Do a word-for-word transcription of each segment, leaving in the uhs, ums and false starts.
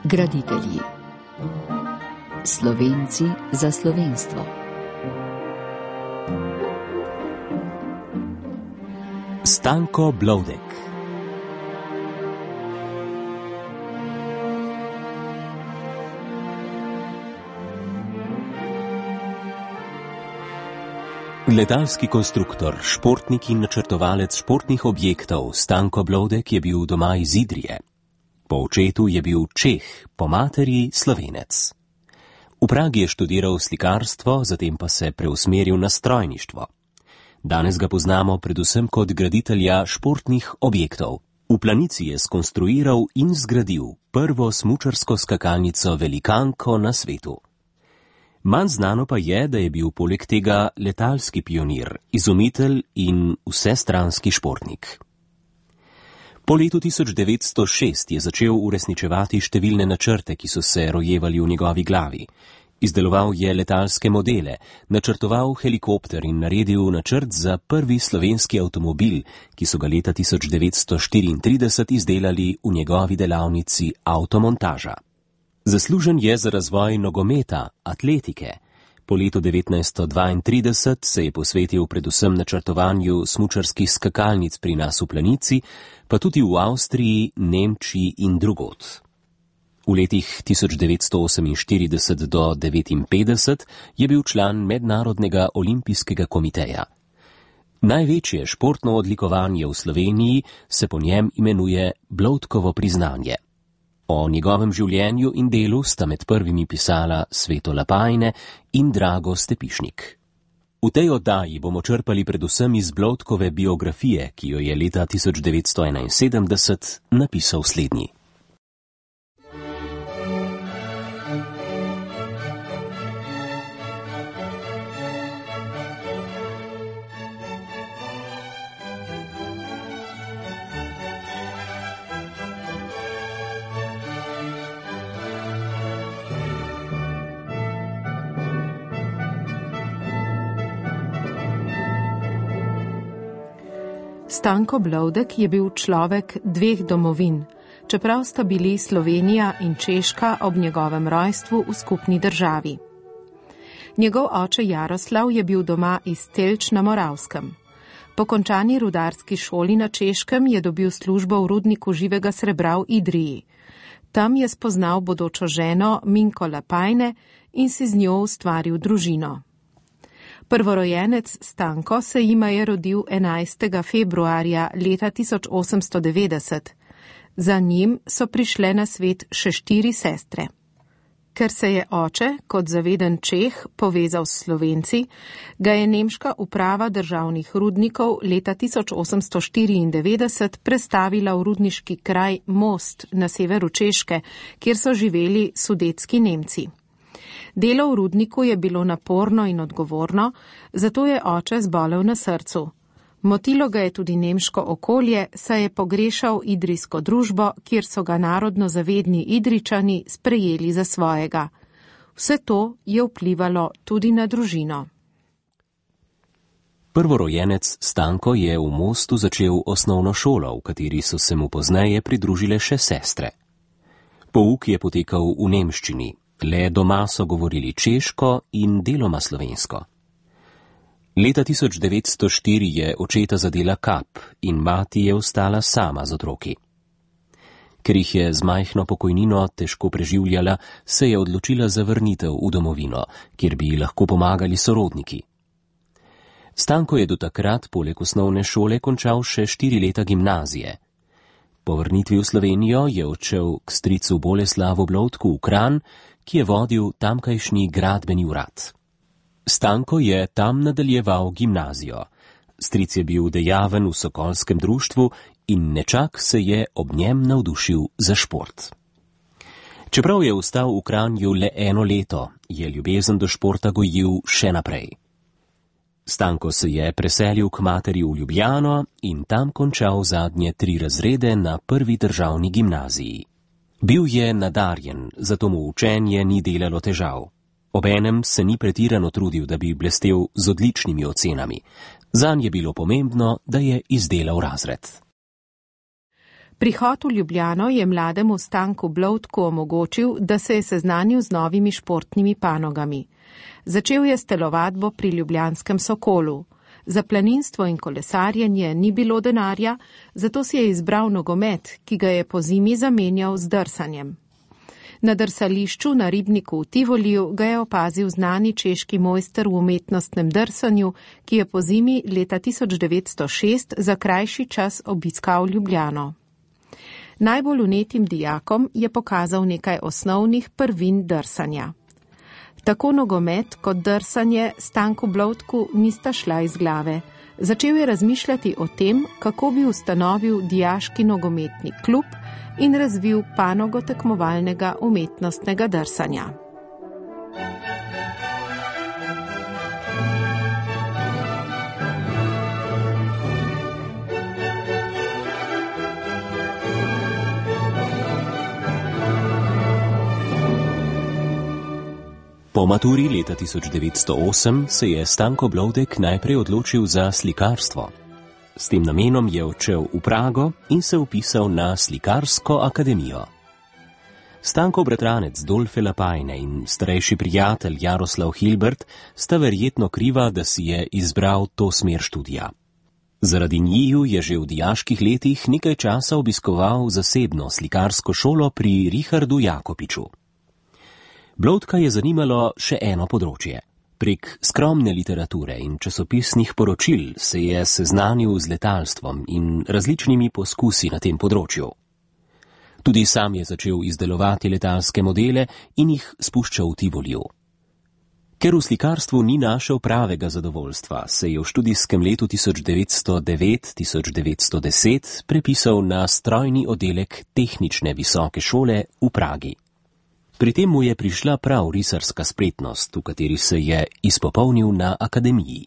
Graditelji. Slovenci za slovenstvo. Stanko Blodek. Letalski konstruktor, športnik in načrtovalec športnih objektov Stanko Blodek je bil doma iz Idrije. Po očetu je bil Čeh, po materi Slovenec. V Pragi je študiral slikarstvo, zatem pa se preusmeril na strojništvo. Danes ga poznamo predvsem kot graditelja športnih objektov. V Planici je skonstruiral in zgradil prvo smučarsko skakalnico velikanko na svetu. Manj znano pa je, da je bil poleg tega letalski pionir, izumitelj in vsestranski športnik. Po letu tisoč devetsto šest je začel uresničevati številne načrte, ki so se rojevali v njegovi glavi. Izdeloval je letalske modele, načrtoval helikopter in naredil načrt za prvi slovenski avtomobil, ki so ga leta tisoč devetsto štiriintrideset izdelali v njegovi delavnici avtomontaža. Zaslužen je za razvoj nogometa, atletike. Po letu devetnajststo dvaintrideset se je posvetil predvsem načrtovanju smučarskih skakalnic pri nas v Planici, pa tudi v Avstriji, Nemčiji in drugod. V letih tisoč devetsto oseminštirideset do devetinpetdeset je bil član Mednarodnega olimpijskega komiteja. Največje športno odlikovanje v Sloveniji se po njem imenuje Blodkovo priznanje. O njegovem življenju in delu sta med prvimi pisala Sveto Lapajne in Drago Stepišnik. V tej oddaji bomo črpali predvsem iz Blodkove biografije, ki jo je leta tisoč devetsto enainsedemdeset napisal slednji. Stanko Blodek je bil človek dveh domovin, čeprav sta bili Slovenija in Češka ob njegovem rojstvu v skupni državi. Njegov oče Jaroslav je bil doma iz Telč na Moravskem. Po končani rudarski šoli na Češkem je dobil službo v rudniku živega srebra v Idriji. Tam je spoznal bodočo ženo Minko Lapajne in si z njo ustvaril družino. Prvorojenec Stanko se jima je rodil enajstega februarja leta tisoč osemsto devetdeset. Za njim so prišle na svet še štiri sestre. Ker se je oče, kot zaveden Čeh, povezal s Slovenci, ga je nemška uprava državnih rudnikov leta tisoč osemsto štiriindevetdeset prestavila v rudniški kraj Most na severu Češke, kjer so živeli sudetski Nemci. Delo v rudniku je bilo naporno in odgovorno, zato je oče zbolel na srcu. Motilo ga je tudi nemško okolje, saj je pogrešal idrijsko družbo, kjer so ga narodno zavedni Idrijčani sprejeli za svojega. Vse to je vplivalo tudi na družino. Prvorojenec Stanko je v Mostu začel osnovno šolo, v kateri so se mu pozneje pridružile še sestre. Pouk je potekal v nemščini. Le doma so govorili češko in deloma slovensko. Leta tisoč devetsto štiri je očeta zadela kap in mati je ostala sama z otroki. Ker jih je z majhno pokojnino težko preživljala, se je odločila za vrnitev v domovino, kjer bi ji lahko pomagali sorodniki. Stanko je do takrat poleg osnovne šole končal še štiri leta gimnazije. Po vrnitvi v Slovenijo je odšel k stricu Boleslavu Blodku v Kranj, ki je vodil tamkajšnji gradbeni urad. Stanko je tam nadaljeval gimnazijo. Stric je bil dejaven v sokolskem društvu in nečak se je ob njem navdušil za šport. Čeprav je ostal v Kranju le eno leto, je ljubezen do športa gojil še naprej. Stanko se je preselil k materi v Ljubljano in tam končal zadnje tri razrede na prvi državni gimnaziji. Bil je nadarjen, zato mu učenje ni delalo težav. Obenem se ni pretirano trudil, da bi blestel z odličnimi ocenami. Zanj je bilo pomembno, da je izdelal razred. Prihod v Ljubljano je mlademu Stanku Blodku omogočil, da se je seznanil z novimi športnimi panogami. Začel je s telovadbo pri ljubljanskem Sokolu. Za planinstvo in kolesarjenje ni bilo denarja, zato si je izbral nogomet, ki ga je po zimi zamenjal z drsanjem. Na drsališču na ribniku v Tivoliju ga je opazil znani češki mojster v umetnostnem drsanju, ki je po zimi leta tisoč devetsto šest za krajši čas obiskal Ljubljano. Najbolj vnetim dijakom je pokazal nekaj osnovnih prvin drsanja. Tako nogomet kot drsanje Stanku Blodku nista šla iz glave. Začel je razmišljati o tem, kako bi ustanovil dijaški nogometni klub in razvil panogo tekmovalnega umetnostnega drsanja. Po maturi leta tisoč devetsto osem se je Stanko Blodek najprej odločil za slikarstvo. S tem namenom je odšel v Prago in se vpisal na slikarsko akademijo. Stankov bratranec Dolfe Lapajne in starejši prijatelj Jaroslav Hilbert sta verjetno kriva, da si je izbral to smer študija. Zaradi njiju je že v dijaških letih nekaj časa obiskoval zasebno slikarsko šolo pri Richardu Jakopiču. Blodka je zanimalo še eno področje. Prek skromne literature in časopisnih poročil se je seznanil z letalstvom in različnimi poskusi na tem področju. Tudi sam je začel izdelovati letalske modele in jih spuščal v Tivoliju. Ker v slikarstvu ni našel pravega zadovoljstva, se je v študijskem letu tisoč devetsto devet tisoč devetsto deset prepisal na strojni oddelek tehnične visoke šole v Pragi. Pri tem mu je prišla prav risarska spretnost, v kateri se je izpopolnil na akademiji.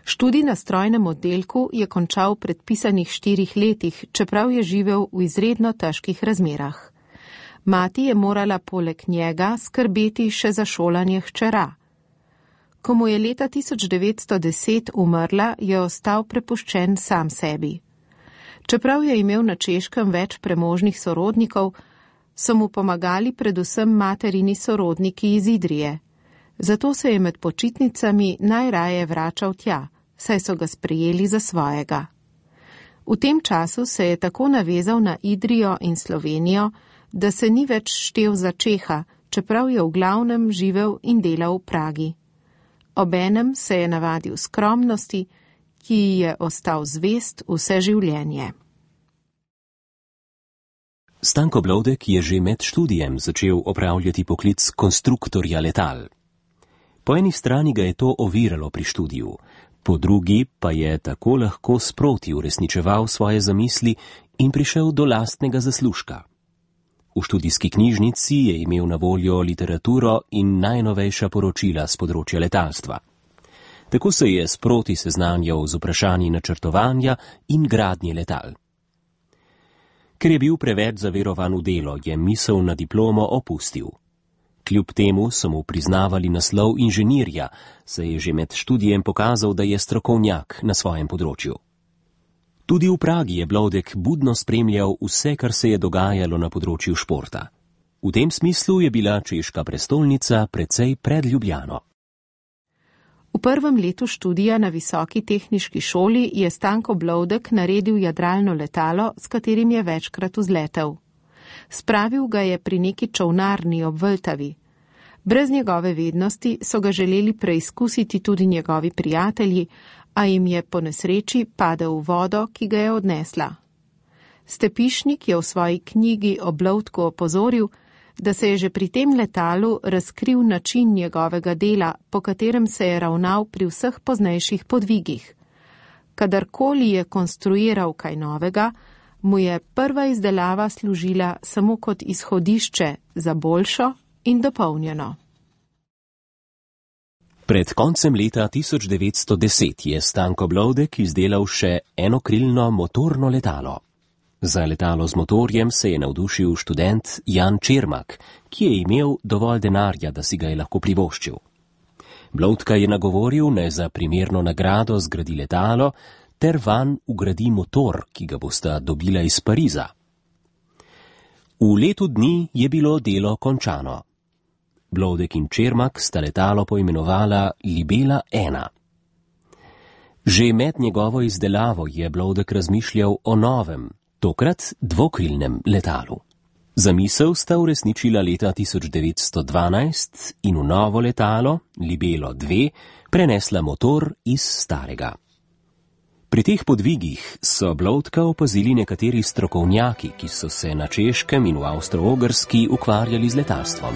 Študij na strojnem oddelku je končal v predpisanih štirih letih, čeprav je živel v izredno težkih razmerah. Mati je morala poleg njega skrbeti še za šolanje hčera. Ko mu je leta tisoč devetsto deset umrla, je ostal prepuščen sam sebi. Čeprav je imel na Češkem več premožnih sorodnikov, so mu pomagali predvsem materini sorodniki iz Idrije. Zato se je med počitnicami najraje vračal tja, saj so ga sprejeli za svojega. V tem času se je tako navezal na Idrijo in Slovenijo, da se ni več štel za Čeha, čeprav je v glavnem živel in delal v Pragi. Obenem se je navadil skromnosti, ki ji je ostal zvest vse življenje. Stanko Blodek je že med študijem začel opravljati poklic konstruktorja letal. Po eni strani ga je to oviralo pri študiju, po drugi pa je tako lahko sproti uresničeval svoje zamisli in prišel do lastnega zaslužka. V študijski knjižnici je imel na voljo literaturo in najnovejša poročila z področja letalstva. Tako se je sproti seznanjal z vprašanji načrtovanja in gradnje letal. Ker je bil preveč zaverovan v delo, je misel na diplomo opustil. Kljub temu so mu priznavali naslov inženirja, saj je že med študijem pokazal, da je strokovnjak na svojem področju. Tudi v Pragi je Blodek budno spremljal vse, kar se je dogajalo na področju športa. V tem smislu je bila češka prestolnica precej pred Ljubljano. V prvem letu študija na Visoki tehniški šoli je Stanko Blodek naredil jadralno letalo, s katerim je večkrat vzletel. Spravil ga je pri neki čolnarni ob Vltavi. Brez njegove vednosti so ga želeli preizkusiti tudi njegovi prijatelji, a jim je po nesreči padel v vodo, ki ga je odnesla. Stepišnik je v svoji knjigi o Blodku opozoril, da se je že pri tem letalu razkril način njegovega dela, po katerem se je ravnal pri vseh poznejših podvigih. Kadarkoli je konstruiral kaj novega, mu je prva izdelava služila samo kot izhodišče za boljšo in dopolnjeno. Pred koncem leta tisoč devetsto deset je Stanko Blodek izdelal še enokrilno motorno letalo. Za letalo z motorjem se je navdušil študent Jan Čermak, ki je imel dovolj denarja, da si ga je lahko privoščil. Blodka je nagovoril, naj za primerno nagrado zgradi letalo, ter vanj ugradi motor, ki ga bosta dobila iz Pariza. V letu dni je bilo delo končano. Bloudek in Čermak sta letalo poimenovala Libela ena. Že med njegovo izdelavo je Bloudek razmišljal o novem, tokrat dvokrilnem letalu. Zamisel sta uresničila leta tisoč devetsto dvanajst in v novo letalo, Libelo dve, prenesla motor iz starega. Pri teh podvigih so Bloudka opazili nekateri strokovnjaki, ki so se na Češkem in v Avstro-Ogrski ukvarjali z letalstvom.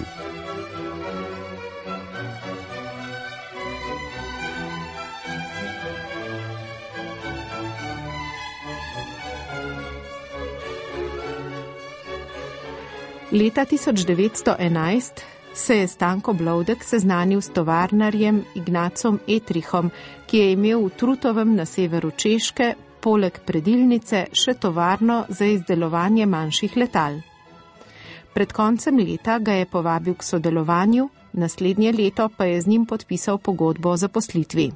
Leta tisoč devetsto enajst se je Stanko Bloudek seznanil s tovarnarjem Ignacom Etrichom, ki je imel v Trutovem na severu Češke poleg predilnice še tovarno za izdelovanje manjših letal. Pred koncem leta ga je povabil k sodelovanju, naslednje leto pa je z njim podpisal pogodbo o zaposlitvi.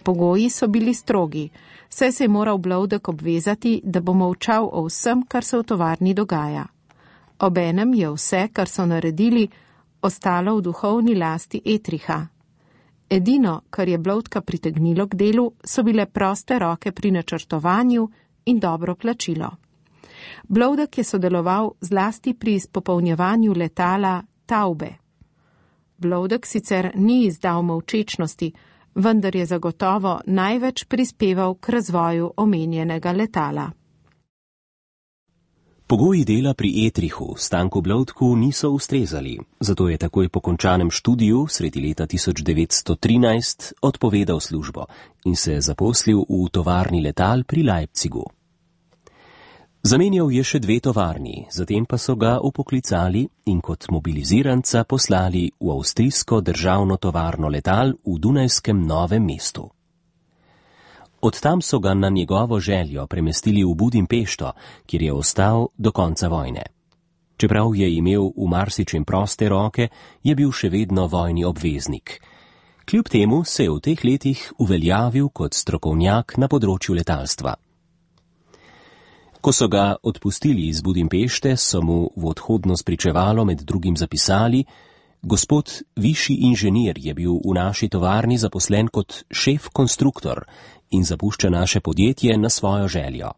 Pogoji so bili strogi, saj se je moral Bloudek obvezati, da bo molčal o vsem, kar se v tovarni dogaja. Obenem je vse, kar so naredili, ostalo v duhovni lasti Etricha. Edino, kar je Bloudka pritegnilo k delu, so bile proste roke pri načrtovanju in dobro plačilo. Bloudek je sodeloval zlasti pri izpopolnjevanju letala Taube. Bloudek sicer ni izdal molčečnosti, vendar je zagotovo največ prispeval k razvoju omenjenega letala. Pogoji dela pri Etrichu Stanku Bloudku niso ustrezali, zato je takoj po končanem študiju sredi leta tisoč devetsto trinajst odpovedal službo in se zaposlil v tovarni letal pri Leipzigu. Zamenjal je še dve tovarni, zatem pa so ga upoklicali in kot mobiliziranca poslali v avstrijsko državno tovarno letal v dunajskem Novem mestu. Od tam so ga na njegovo željo premestili v Budimpešto, kjer je ostal do konca vojne. Čeprav je imel v marsičem proste roke, je bil še vedno vojni obveznik. Kljub temu se je v teh letih uveljavil kot strokovnjak na področju letalstva. Ko so ga odpustili iz Budimpešte, so mu v odhodno spričevalo med drugim zapisali: Gospod višji inženir je bil v naši tovarni zaposlen kot šef konstruktor in zapušča naše podjetje na svojo željo.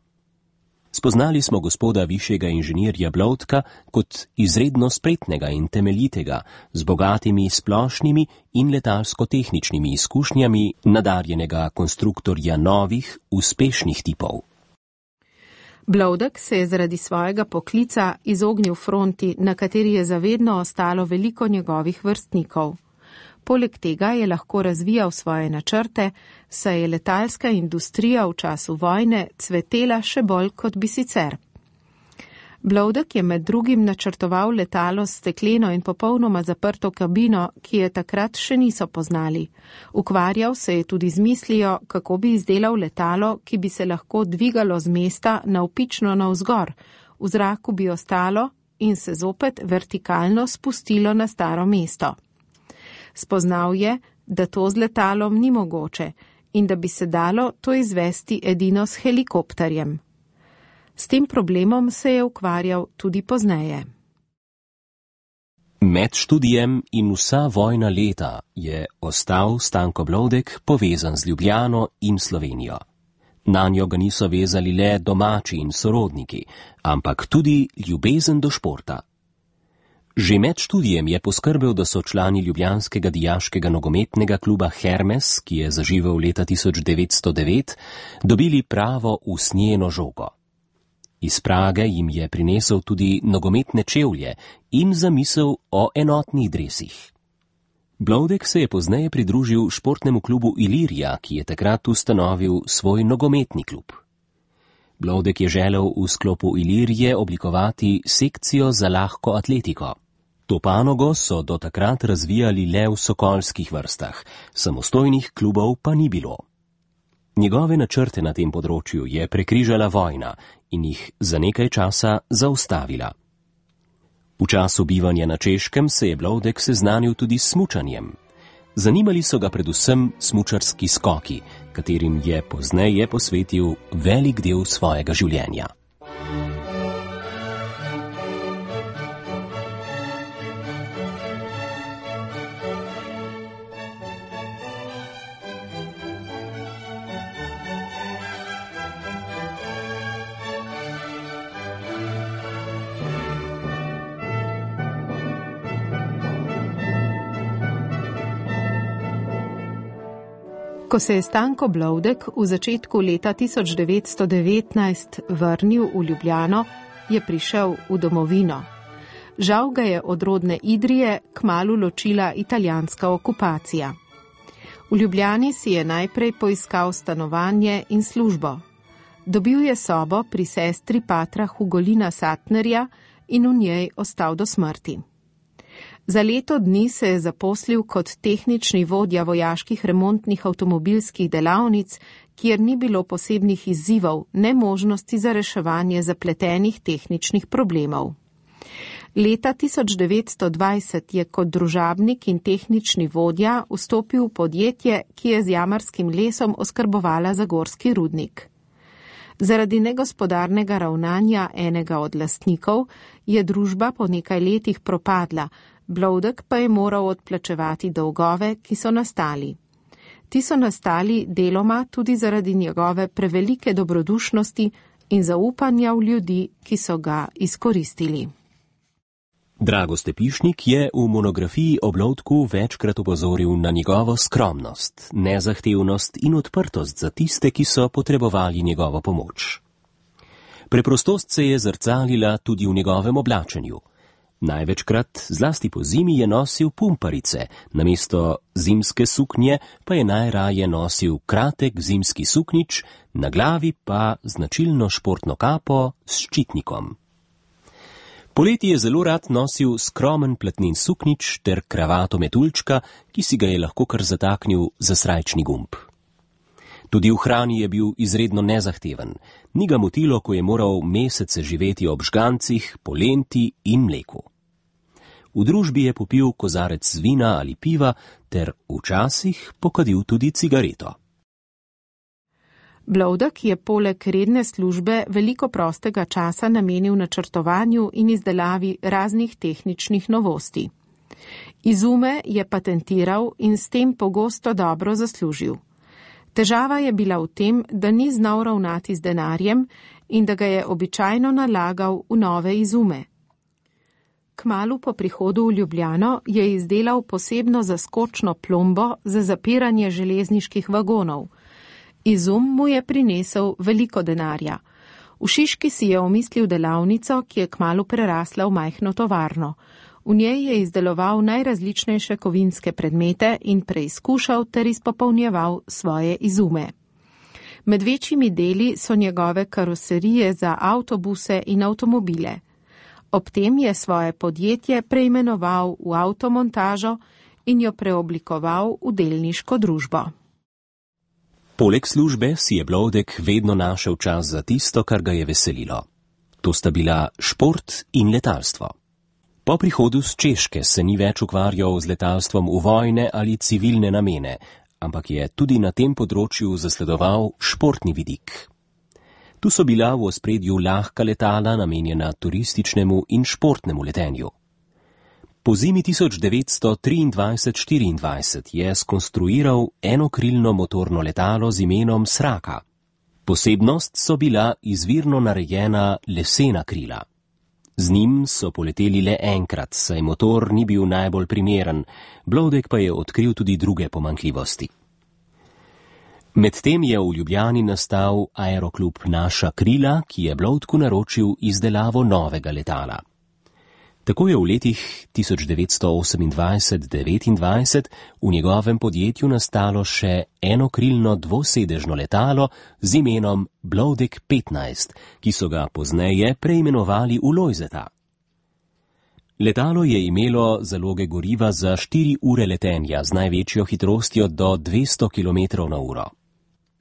Spoznali smo gospoda višjega inženirja Bloudka kot izredno spretnega in temeljitega, z bogatimi splošnimi in letalsko-tehničnimi izkušnjami nadarjenega konstruktorja novih, uspešnih tipov. Bloudek se je zaradi svojega poklica izognil fronti, na kateri je zavedno ostalo veliko njegovih vrstnikov. Poleg tega je lahko razvijal svoje načrte, saj je letalska industrija v času vojne cvetela še bolj kot bi sicer. Bloudek je med drugim načrtoval letalo s stekleno in popolnoma zaprto kabino, ki je takrat še niso poznali. Ukvarjal se je tudi z mislijo, kako bi izdelal letalo, ki bi se lahko dvigalo z mesta navpično navzgor, v zraku bi ostalo in se zopet vertikalno spustilo na staro mesto. Spoznal je, da to z letalom ni mogoče in da bi se dalo to izvesti edino s helikopterjem. S tem problemom se je ukvarjal tudi pozneje. Med študijem in vsa vojna leta je ostal Stanko Bloudek povezan z Ljubljano in Slovenijo. Nanjo ga niso vezali le domači in sorodniki, ampak tudi ljubezen do športa. Že med študijem je poskrbel, da so člani ljubljanskega dijaškega nogometnega kluba Hermes, ki je zaživel leta tisoč devetsto devet, dobili pravo usnjeno žogo. Iz Prage jim je prinesel tudi nogometne čevlje in zamisel o enotnih dresih. Bloudek se je pozneje pridružil športnemu klubu Ilirija, ki je takrat ustanovil svoj nogometni klub. Bloudek je želel v sklopu Ilirije oblikovati sekcijo za lahko atletiko. To panogo so do takrat razvijali le v sokolskih vrstah, samostojnih klubov pa ni bilo. Njegove načrte na tem področju je prekrižala vojna in jih za nekaj časa zaustavila. V času bivanja na Češkem se je Bloudek seznanil tudi s smučanjem. Zanimali so ga predvsem smučarski skoki, katerim je pozneje posvetil velik del svojega življenja. Ko se je Stanko Blodek v začetku leta tisoč devetsto devetnajst vrnil v Ljubljano, je prišel v domovino. Žal ga je od rodne Idrije kmalu ločila italijanska okupacija. V Ljubljani si je najprej poiskal stanovanje in službo. Dobil je sobo pri sestri patra Hugolina Satnerja in v njej ostal do smrti. Za leto dni se je zaposlil kot tehnični vodja vojaških remontnih avtomobilskih delavnic, kjer ni bilo posebnih izzivov, ne možnosti za reševanje zapletenih tehničnih problemov. Leta tisoč devetsto dvajset je kot družabnik in tehnični vodja vstopil v podjetje, ki je z jamarskim lesom oskrbovala zagorski rudnik. Zaradi negospodarnega ravnanja enega od lastnikov je družba po nekaj letih propadla, Blodek pa je moral odplačevati dolgove, ki so nastali. Ti so nastali deloma tudi zaradi njegove prevelike dobrodušnosti in zaupanja v ljudi, ki so ga izkoristili. Drago Stepišnik je v monografiji o Blodku večkrat opozoril na njegovo skromnost, nezahtevnost in odprtost za tiste, ki so potrebovali njegovo pomoč. Preprostost se je zrcalila tudi v njegovem oblačenju. Največkrat, zlasti po zimi, je nosil pumparice, namesto zimske suknje pa je najraje nosil kratek zimski suknič, na glavi pa značilno športno kapo s ščitnikom. Poleti je zelo rad nosil skromen platnin suknič ter kravato metuljčka, ki si ga je lahko kar zataknil za srajčni gumb. Tudi v hrani je bil izredno nezahteven. Ni ga motilo, ko je moral mesece živeti ob žgancih, polenti in mleku. V družbi je popil kozarec vina ali piva ter včasih pokadil tudi cigareto. Blodek je poleg redne službe veliko prostega časa namenil načrtovanju in izdelavi raznih tehničnih novosti. Izume je patentiral in s tem pogosto dobro zaslužil. Težava je bila v tem, da ni znal ravnati z denarjem in da ga je običajno nalagal v nove izume. Kmalu po prihodu v Ljubljano je izdelal posebno zaskočno plombo za zapiranje železniških vagonov. Izum mu je prinesel veliko denarja. V Šiški si je omislil delavnico, ki je kmalu prerasla v majhno tovarno. V njej je izdeloval najrazličnejše kovinske predmete in preizkušal ter izpopolnjeval svoje izume. Med večjimi deli so njegove karoserije za avtobuse in avtomobile. Ob tem je svoje podjetje preimenoval v avtomontažo in jo preoblikoval v delniško družbo. Poleg službe si je Blodek vedno našel čas za tisto, kar ga je veselilo. To sta bila šport in letalstvo. Po prihodu z Češke se ni več ukvarjal z letalstvom v vojne ali civilne namene, ampak je tudi na tem področju zasledoval športni vidik. Tu so bila v ospredju lahka letala, namenjena turističnemu in športnemu letenju. Po zimi tisoč devetsto triindvajset štiriindvajset je skonstruiral enokrilno motorno letalo z imenom Sraka. Posebnost so bila izvirno narejena lesena krila. Z njim so poleteli le enkrat, saj motor ni bil najbolj primeren, Blodek pa je odkril tudi druge pomanjkljivosti. Medtem je v Ljubljani nastal aeroklub Naša krila, ki je Blodku naročil izdelavo novega letala. Tako je v letih tisoč devetsto osemindvajset devetindvajset v njegovem podjetju nastalo še enokrilno dvosedežno letalo z imenom Blodek petnajst, ki so ga pozneje preimenovali v Lojzeta. Letalo je imelo zaloge goriva za štiri ure letenja z največjo hitrostjo do dvesto kilometrov na uro.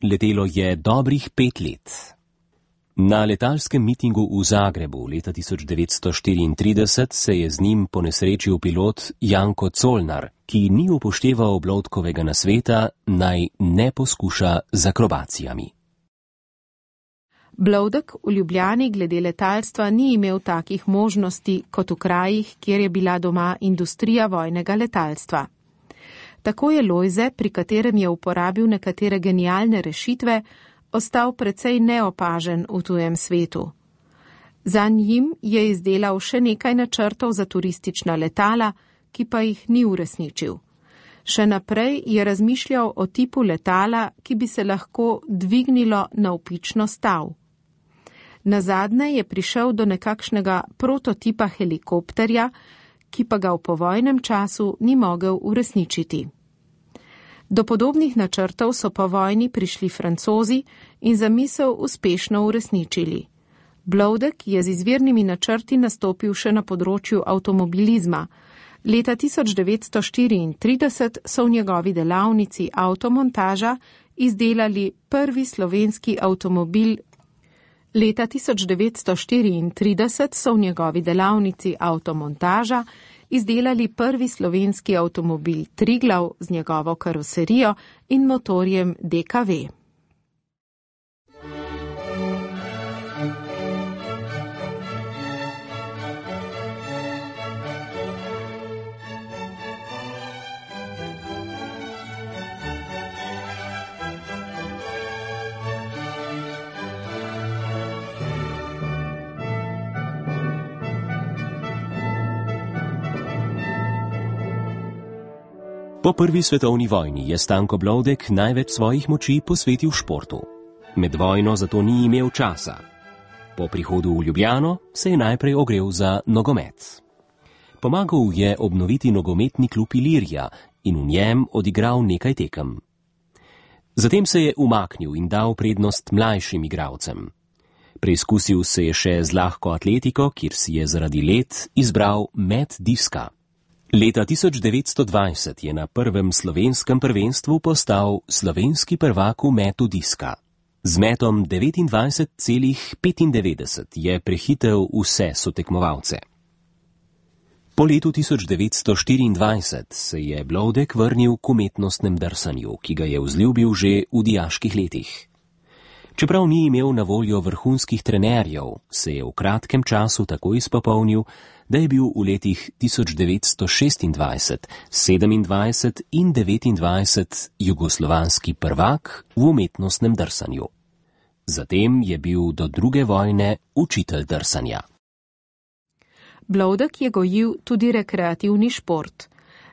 Letelo je dobrih pet let. Na letalskem mitingu v Zagrebu leta tisoč devetsto štiriintrideset se je z njim ponesrečil pilot Janko Colnar, ki ni upošteval Bloudkovega nasveta, naj ne poskuša z akrobacijami. Bloudek v Ljubljani glede letalstva ni imel takih možnosti kot v krajih, kjer je bila doma industrija vojnega letalstva. Tako je Lojze, pri katerem je uporabil nekatere genialne rešitve, ostal precej neopažen v tujem svetu. Za njim je izdelal še nekaj načrtov za turistična letala, ki pa jih ni uresničil. Še naprej je razmišljal o tipu letala, ki bi se lahko dvignilo navpično stav. Nazadnje je prišel do nekakšnega prototipa helikopterja, ki pa ga v povojnem času ni mogel uresničiti. Do podobnih načrtov so po vojni prišli Francozi in zamisel uspešno uresničili. Bloudek je z izvirnimi načrti nastopil še na področju avtomobilizma. Leta tisoč devetsto štiriintrideset so v njegovi delavnici avtomontaža izdelali prvi slovenski avtomobil. Leta tisoč devetsto štiriintrideset so v njegovi delavnici avtomontaža izdelali prvi slovenski avtomobil Triglav z njegovo karoserijo in motorjem D K V. Po prvi svetovni vojni je Stanko Bloudek največ svojih moči posvetil športu. Med vojno zato ni imel časa. Po prihodu v Ljubljano se je najprej ogrel za nogomet. Pomagal je obnoviti nogometni klub Ilirija in v njem odigral nekaj tekem. Zatem se je umaknil in dal prednost mlajšim igralcem. Preizkusil se je še z lahko atletiko, kjer si je zaradi let izbral met diska. Leta tisoč devetsto dvajset je na prvem slovenskem prvenstvu postal slovenski prvak v metu diska. Z metom devetindvajset celih petindevetdeset je prehitel vse sotekmovalce. Po letu tisoč devetsto štiriindvajset se je Bloudek vrnil k umetnostnem drsanju, ki ga je vzljubil že v dijaških letih. Čeprav ni imel na voljo vrhunskih trenerjev, se je v kratkem času tako izpopolnil, da je bil v letih tisoč devetsto šestindvajset, sedemindvajset in devetindvajset jugoslovanski prvak v umetnostnem drsanju. Zatem je bil do druge vojne učitelj drsanja. Bloudek je gojil tudi rekreativni šport.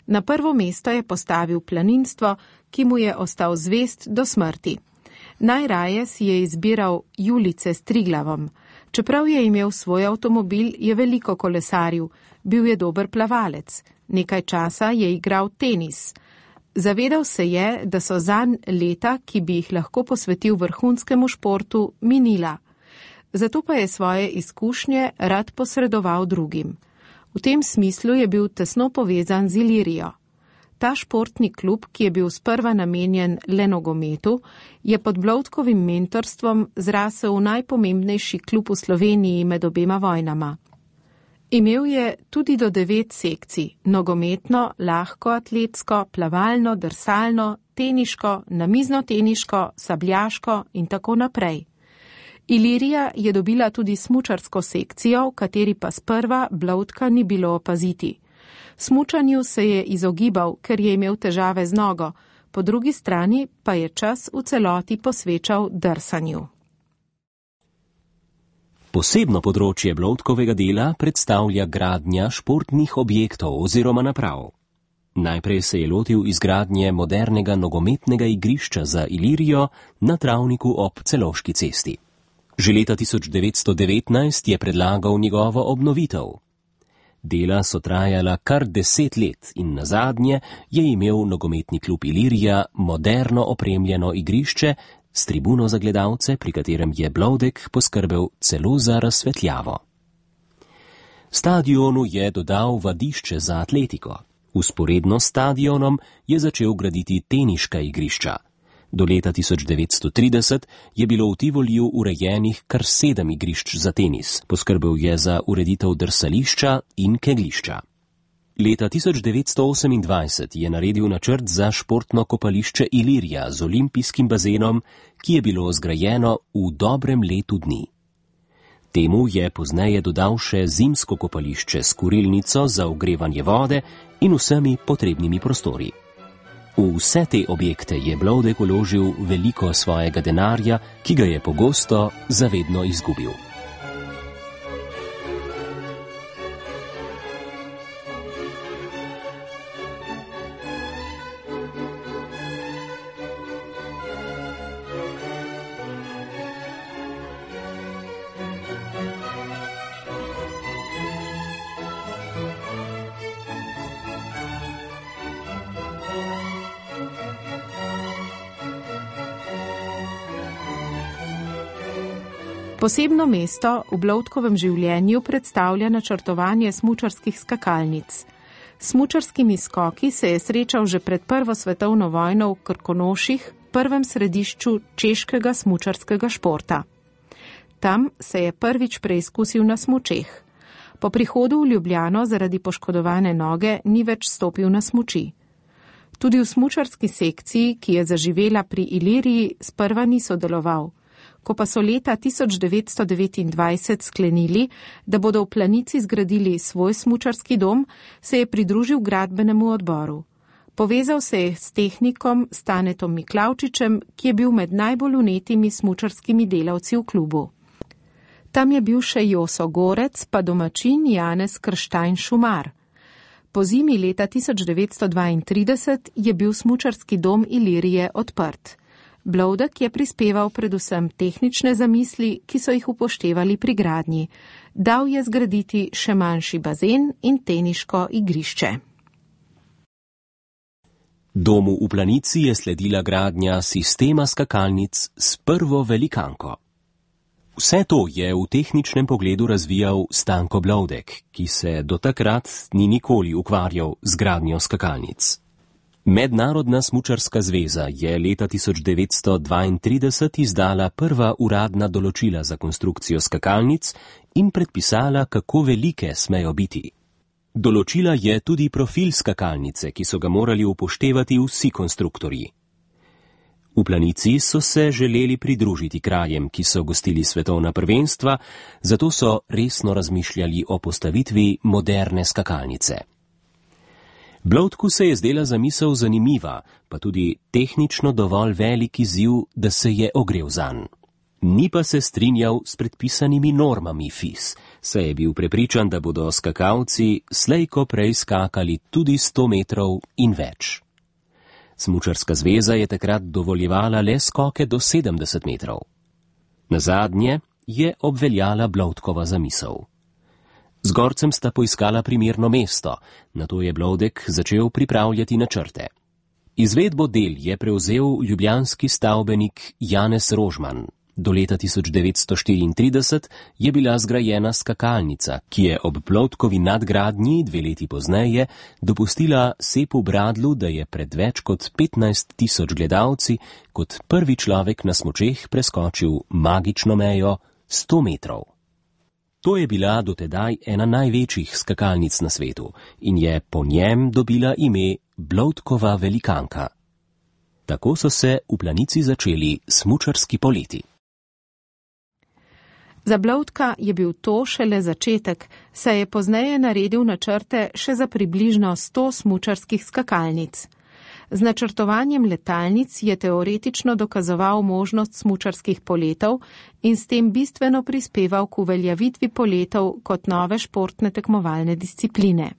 Na prvo mesto je postavil planinstvo, ki mu je ostal zvest do smrti. Najraje si je izbiral Julice s Triglavom. Čeprav je imel svoj avtomobil, je veliko kolesaril, bil je dober plavalec. Nekaj časa je igral tenis. Zavedal se je, da so zanj leta, ki bi jih lahko posvetil vrhunskemu športu, minila. Zato pa je svoje izkušnje rad posredoval drugim. V tem smislu je bil tesno povezan z Ilirijo. Ta športni klub, ki je bil sprva namenjen le nogometu, je pod Bloudkovim mentorstvom zrasel v najpomembnejši klub v Sloveniji med obema vojnama. Imel je tudi do devet sekcij, nogometno, lahko atletsko, plavalno, drsalno, teniško, namizno-teniško, sabljaško in tako naprej. Ilirija je dobila tudi smučarsko sekcijo, v kateri pa sprva Bloudka ni bilo opaziti. Smučanju se je izogibal, ker je imel težave z nogo, po drugi strani pa je čas v celoti posvečal drsanju. Posebno področje Bloudkovega dela predstavlja gradnja športnih objektov oziroma naprav. Najprej se je lotil izgradnje modernega nogometnega igrišča za Ilirijo na travniku ob Celovški cesti. Že leta tisoč devetsto devetnajst je predlagal njegovo obnovitev. Dela so trajala kar deset let in nazadnje je imel nogometni klub Ilirija moderno opremljeno igrišče s tribuno za gledalce, pri katerem je Bloudek poskrbel celo za razsvetljavo. Stadionu je dodal vadišče za atletiko. Vzporedno s stadionom je začel graditi teniška igrišča. Do leta tisoč devetsto trideset je bilo v Tivoliju urejenih kar sedem igrišč za tenis, poskrbel je za ureditev drsališča in kegljišča. Leta tisoč devetsto osemindvajset je naredil načrt za športno kopališče Ilirija z olimpijskim bazenom, ki je bilo zgrajeno v dobrem letu dni. Temu je pozneje dodal še zimsko kopališče s kurilnico za ogrevanje vode in vsemi potrebnimi prostori. V vse te objekte je Bloudek vložil veliko svojega denarja, ki ga je pogosto zavedno izgubil. Posebno mesto v Bloudkovem življenju predstavlja načrtovanje smučarskih skakalnic. S smučarskimi skoki se je srečal že pred prvo svetovno vojno v Krkonoših, prvem središču češkega smučarskega športa. Tam se je prvič preizkusil na smučeh. Po prihodu v Ljubljano zaradi poškodovane noge ni več stopil na smuči. Tudi v smučarski sekciji, ki je zaživela pri Iliriji, sprva ni sodeloval. Ko pa so leta tisoč devetsto devetindvajset sklenili, da bodo v Planici zgradili svoj smučarski dom, se je pridružil gradbenemu odboru. Povezal se je s tehnikom Stanetom Miklavčičem, ki je bil med najbolj vnetimi smučarskimi delavci v klubu. Tam je bil še Joso Gorec, pa domačin Janez Krštajn Šumar. Po zimi leta tisoč devetsto dvaintrideset je bil smučarski dom Ilirije odprt. Bloudek je prispeval predvsem tehnične zamisli, ki so jih upoštevali pri gradnji. Dal je zgraditi še manjši bazen in teniško igrišče. Domu v Planici je sledila gradnja sistema skakalnic s prvo velikanko. Vse to je v tehničnem pogledu razvijal Stanko Bloudek, ki se do takrat ni nikoli ukvarjal z gradnjo skakalnic. Mednarodna smučarska zveza je leta tisoč devetsto dvaintrideset izdala prva uradna določila za konstrukcijo skakalnic in predpisala, kako velike smejo biti. Določila je tudi profil skakalnice, ki so ga morali upoštevati vsi konstruktorji. V Planici so se želeli pridružiti krajem, ki so gostili svetovna prvenstva, zato so resno razmišljali o postavitvi moderne skakalnice. Bloudku se je zdela zamisel zanimiva, pa tudi tehnično dovolj velik izziv, da se je ogrel zanj. Ni pa se strinjal s predpisanimi normami F I S, saj je bil prepričan, da bodo skakalci slejko prej skakali tudi sto metrov in več. Smučarska zveza je takrat dovoljevala le skoke do sedemdeset metrov. Nazadnje je obveljala Bloudkova zamisel. Z Gorcem sta poiskala primerno mesto, nato je Bloudek začel pripravljati načrte. Izvedbo del je prevzel ljubljanski stavbenik Janez Rožman. Do leta tisoč devetsto štiriintrideset je bila zgrajena skakalnica, ki je ob Bloudkovi nadgradnji dve leti pozneje dopustila Sepu Bradlu, da je pred več kot petnajst tisoč gledalci kot prvi človek na smučeh preskočil magično mejo sto metrov. To je bila dotedaj ena največjih skakalnic na svetu in je po njem dobila ime Bloudkova velikanka. Tako so se v Planici začeli smučarski poleti. Za Bloudka je bil to šele začetek, saj je pozneje naredil načrte še za približno sto smučarskih skakalnic. Z načrtovanjem letalnic je teoretično dokazoval možnost smučarskih poletov in s tem bistveno prispeval k uveljavitvi poletov kot nove športne tekmovalne discipline.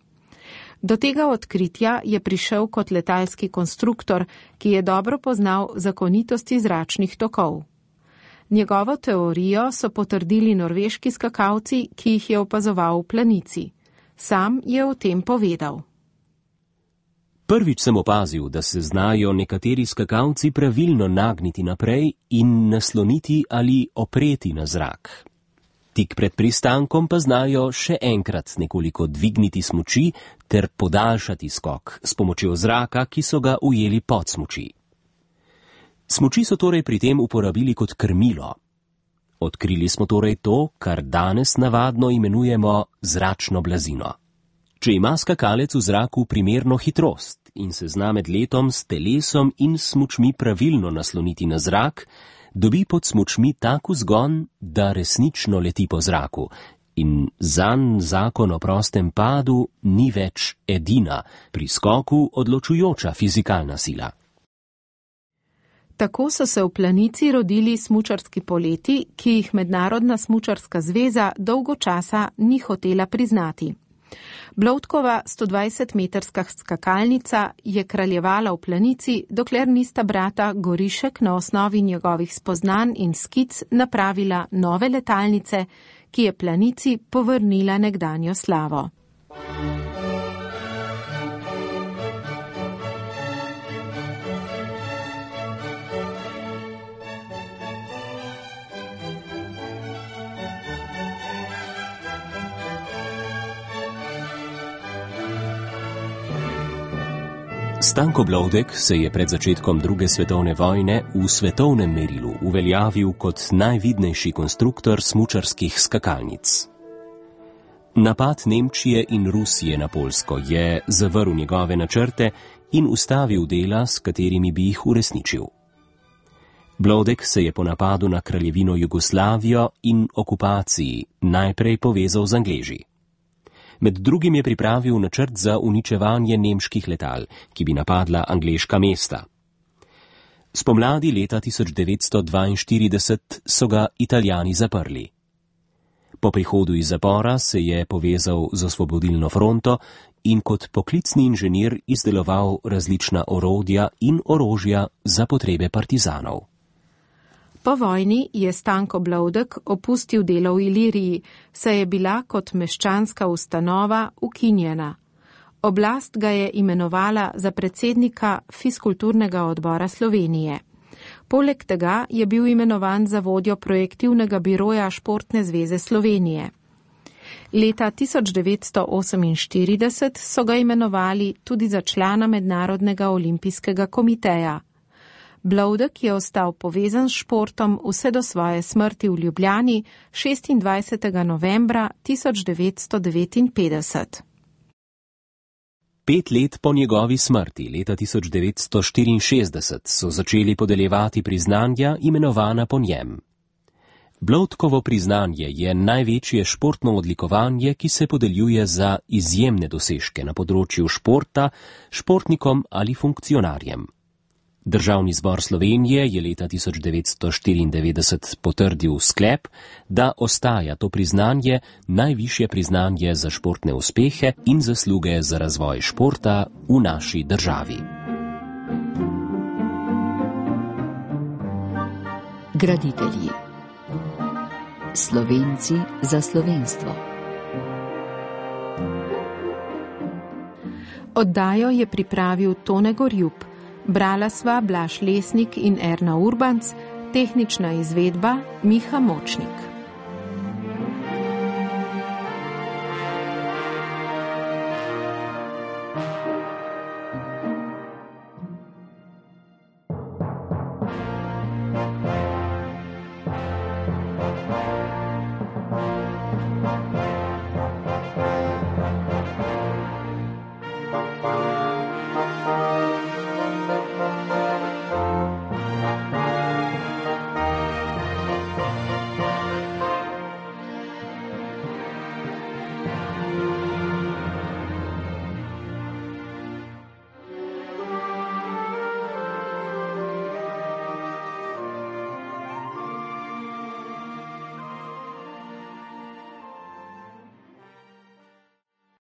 Do tega odkritja je prišel kot letalski konstruktor, ki je dobro poznal zakonitosti zračnih tokov. Njegovo teorijo so potrdili norveški skakalci, ki jih je opazoval v Planici. Sam je o tem povedal. Prvič sem opazil, da se znajo nekateri skakalci pravilno nagniti naprej in nasloniti ali opreti na zrak. Tik pred pristankom pa znajo še enkrat nekoliko dvigniti smuči ter podaljšati skok s pomočjo zraka, ki so ga ujeli pod smuči. Smuči so torej pri tem uporabili kot krmilo. Odkrili smo torej to, kar danes navadno imenujemo zračno blazino. Če ima skakalec v zraku primerno hitrost in se zna med letom s telesom in smučmi pravilno nasloniti na zrak, dobi pod smučmi tak vzgon, da resnično leti po zraku in zanj zakon o prostem padu ni več edina, pri skoku odločujoča fizikalna sila. Tako so se v Planici rodili smučarski poleti, ki jih Mednarodna smučarska zveza dolgo časa ni hotela priznati. Bloudkova stodvajsetmetrska skakalnica je kraljevala v Planici, dokler nista brata Gorišek na osnovi njegovih spoznanj in skic napravila nove letalnice, ki je Planici povrnila nekdanjo slavo. Stanko Bloudek se je pred začetkom druge svetovne vojne v svetovnem merilu uveljavil kot najvidnejši konstruktor smučarskih skakalnic. Napad Nemčije in Rusije na Poljsko je zavrl njegove načrte in ustavil dela, s katerimi bi jih uresničil. Bloudek se je po napadu na kraljevino Jugoslavijo in okupaciji najprej povezal z Angleži. Med drugim je pripravil načrt za uničevanje nemških letal, ki bi napadla angleška mesta. Spomladi leta tisoč devetsto dvainštirideset so ga Italijani zaprli. Po prihodu iz zapora se je povezal z Osvobodilno fronto in kot poklicni inženir izdeloval različna orodja in orožja za potrebe partizanov. Po vojni je Stanko Bloudek opustil delo v Iliriji, saj je bila kot meščanska ustanova ukinjena. Oblast ga je imenovala za predsednika Fiskulturnega odbora Slovenije. Poleg tega je bil imenovan za vodjo projektivnega biroja Športne zveze Slovenije. Leta tisoč devetsto oseminštirideset so ga imenovali tudi za člana Mednarodnega olimpijskega komiteja. Bloudek je ostal povezan s športom vse do svoje smrti v Ljubljani šestindvajsetega novembra tisoč devetsto devetinpetdeset. Pet let po njegovi smrti, leta tisoč devetsto štiriinšestdeset, so začeli podeljevati priznanja, imenovana po njem. Bloudkovo priznanje je največje športno odlikovanje, ki se podeljuje za izjemne dosežke na področju športa, športnikom ali funkcionarjem. Državni zbor Slovenije je leta tisoč devetsto štiriindevetdeset potrdil sklep, da ostaja to priznanje najvišje priznanje za športne uspehe in zasluge za razvoj športa v naši državi. Graditelji. Slovenci za slovenstvo. Oddajo je pripravil Tone Gorjup. Brala sva Blaž Lesnik in Erna Urbanc, tehnična izvedba Miha Močnik.